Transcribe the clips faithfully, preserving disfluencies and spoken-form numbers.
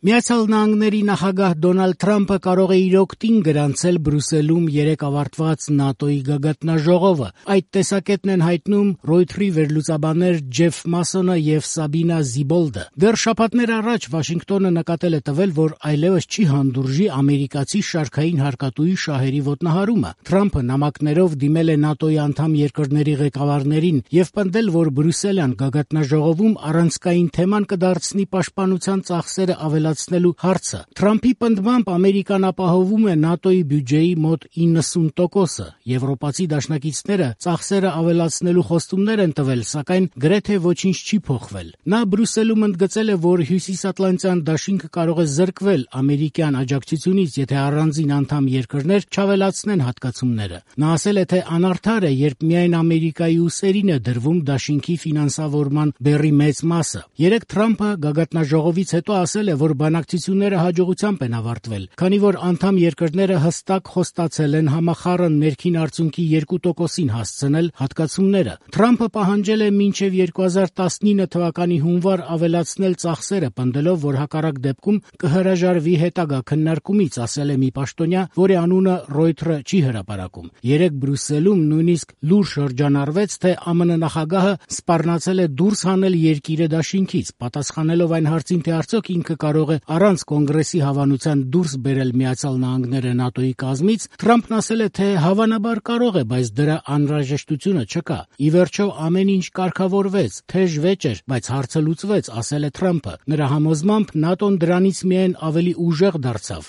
Միացյալ Նահանգների նախագահ Դոնալդ Թրամփը կարող է իր օգտին գրանցել Բրյուսելում երեկ ավարտված ՆԱՏՕ-ի գագաթնաժողովը։ Այդ տեսակետն են հայտնում Ռոյթերի վերլուծաբաններ Ջեֆ Մասոնը եւ Սաբինա Զիբոլդը։ Դեռ շաբաթներ առաջ Վաշինգտոնը նկատել է տվել, որ այլևս չի հանդուրժի ամերիկացի շարքային հարկատուի շահերի ոտնահարումը։ Թրամփը նամակներով դիմել է ՆԱՏՕ-ի անդամ երկրների ղեկավարներին եւ պնդել, որ Բրյուսելյան գագաթնաժողովում առանցքային թեման կդարձնի պաշտպանության ծախսերը ավելացնելու հարցը։ Թրամփի պնդմամբ Ամերիկան ապահովում է ՆԱՏՕ-ի բյուջեի մոտ իննսուն տոկոսը։ Եվրոպացի դաշնակիցները ծախսերը ավելացնելու խոստումներ են տվել, սակայն գրեթե ոչինչ չի փոխվել։ Նա Բրյուսելում ընդգծել է, որ Հյուսիսատլանտյան դաշինքը կարող է զրկվել ամերիկյան աջակցությունից, եթե առանձին անդամ երկրներ չավելացնեն հատկացումները։ Նա ասել է, թե անարդար է, երբ միայն Ամերիկայի ուսերին է դրվում դաշինքի ֆինանսավորման բեռի մեծ մասը։ Երեկ Թրամփը գագաթնաժողովից հետո ասել է, որ բանակցությունները հաջողությամբ են ավարտվել, քանի որ անդամ երկրները հստակ խոստացել են համախառն ներքին արդյունքի երկու տոկոսին հասցնել հատկացումները։ Թրամփը պահանջել է մինչև երկու հազար տասնինը թվականի հունվար ավելացնել ծախսերը, պնդելով, որ հակառակ դեպքում կհրաժարվի հետագա քննարկումից, ասել է մի պաշտոնյա, որի անունը Ռոյթերը չի հրապարակում։ Երեկ Բրյուսելում նույնիսկ լուր շրջանառվեց, թե ԱՄՆ նախագահը սպառնացել է դուրս հանել երկիրը դաշինքից, պատասխանելով այն հարցին, թե արդյոք ինքը կարող է առանց կոնգրեսի հավանության դուրս բերել Միացյալ Նահանգները ՆԱՏՕ-ի կազմից, Թրամփն ասել է, թե հավանաբար կարող է, բայց դրա անհրաժեշտությունը չկա։ Ի վերջո ամեն ինչ կարգավորվեց, թեժ վեճ էր, բայց հարցը լուծվեց, ասել է Թրամփը։ Նրա համոզմամբ ՆԱՏՕ-ն դրանից միայն ավելի ուժեղ դարձավ։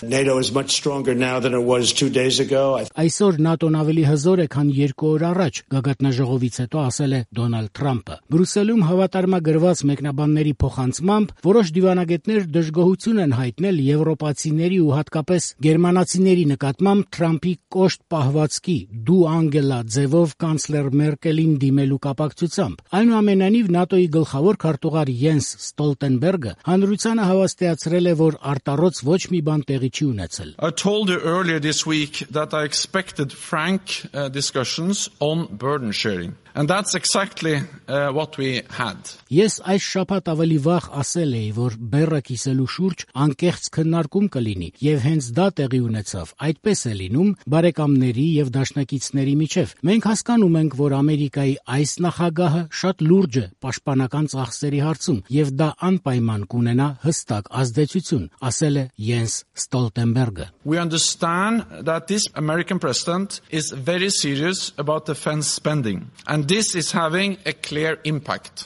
Այսօր ՆԱՏՕ-ն ավելի հզոր է, քան երկու օր առաջ, գագաթնաժողովից հետո ասել է Դոնալդ Թրամփը։ Բրյուսելում հավատարմագրված մեկնաբանների փոխանցմամբ որոշ դիվանագետներ դժգոհություն են հայտնել եվրոպացիների ու հատկապես գերմանացիների նկատմամբ Թրամփի կոշտ պահվածքի «դու Անգելա» ձևով կանցլեր Մերկելին դիմելու կապակցությամբ։ Այնուամենայնիվ ՆԱՏՕ-ի գլխավոր քարտուղար Յենս Ստոլտենբերգը հանրությանը հավաստիացրել է, որ արտառոց ոչ մի բան տեղի չի ունեցել։ I told you earlier this week that I expected frank uh, discussions on burden sharing. And that's exactly uh, what we had. Ես այս շաբաթ ավելի վաղ ասել էի, որ բեռը կիսելու շուրջ անկեղծ քննարկում կլինի, եւ հենց դա տեղի ունեցավ։ Այդպես է լինում բարեկամների եւ դաշնակիցների միջեւ։ Մենք հասկանում ենք, որ Ամերիկայի այս նախագահը շատ լուրջ է պաշտպանական ծախսերի հարցում, եւ դա անպայման կունենա հստակ ազդեցություն, ասել է Յենս Ստոլտենբերգը։ We understand that this American president is very serious about defense spending, and this is having a clear impact.